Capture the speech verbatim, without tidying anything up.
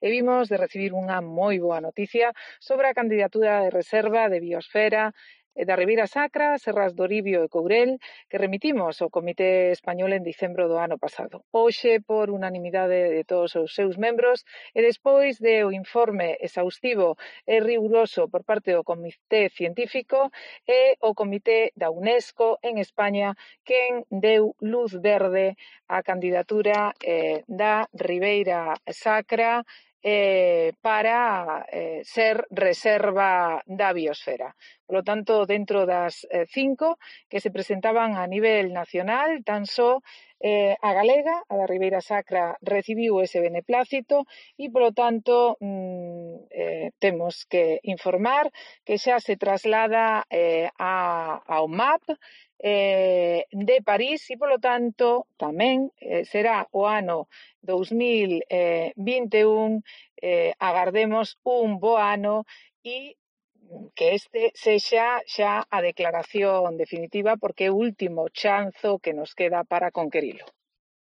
e vimos de recibir unha moi boa noticia sobre a candidatura de reserva de biosfera da Ribeira Sacra, Serras do Oribio e Courel, que remitimos ao Comité Español en dicembro do ano pasado. Hoxe, por unanimidade de todos os seus membros, e despois de o informe exhaustivo e riguroso por parte do Comité Científico e o Comité da UNESCO en España, quen deu luz verde á candidatura eh, da Ribeira Sacra eh, para eh, ser reserva da biosfera. Por lo tanto, dentro das eh, cinco que se presentaban a nivel nacional, tan só eh, a galega, a da Ribeira Sacra, recibiu ese beneplácito e, polo tanto, mm, eh, temos que informar que xa se traslada eh, a, ao M A P eh, de París e, polo tanto, tamén eh, será o ano dous mil vinte e un, eh, agardemos un bo ano e que este sexa xa a declaración definitiva porque é o último chanzo que nos queda para conquerilo.